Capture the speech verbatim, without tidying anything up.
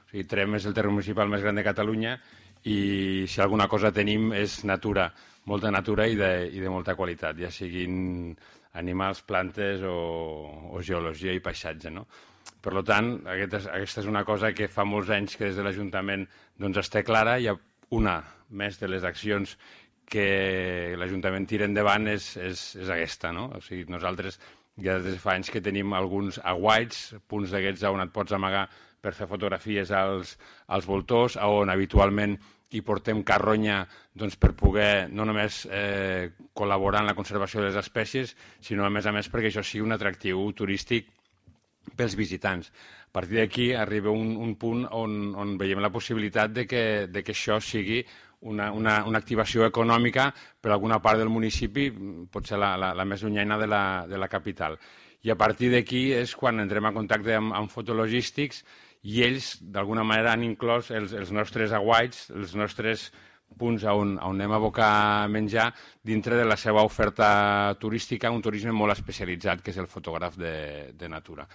O sigui, Tremp és el terme municipal més gran de Catalunya i si alguna cosa tenim és natura, molta natura i de, i de molta qualitat, ja siguin animals, plantes o, o geologia i paisatge, no? Per tant, aquesta és, aquesta és una cosa que fa molts anys que des de l'Ajuntament doncs, està clara. Hi ha una més de les accions que l'Ajuntament tira endavant és, és, és aquesta, no? O sigui, nosaltres ja des de fa anys que tenim alguns aguaits, punts d'aquests on et pots amagar per fer fotografies als, als voltors, on habitualment hi portem carronya doncs, per poder no només eh, col·laborar en la conservació de les espècies, sinó a més a més perquè això sigui un atractiu turístic pels visitants. A partir d'aquí arriba un, un punt on, on veiem la possibilitat de que, de que això sigui una, una, una activació econòmica per alguna part del municipi, potser la, la, la més llunyana de la, de la capital. I a partir d'aquí és quan entrem en contacte amb, amb fotologístics i ells, d'alguna manera, han inclòs els, els nostres aguaits, els nostres punts on, on anem a abocar menjar dintre de la seva oferta turística, un turisme molt especialitzat, que és el fotògraf de, de natura.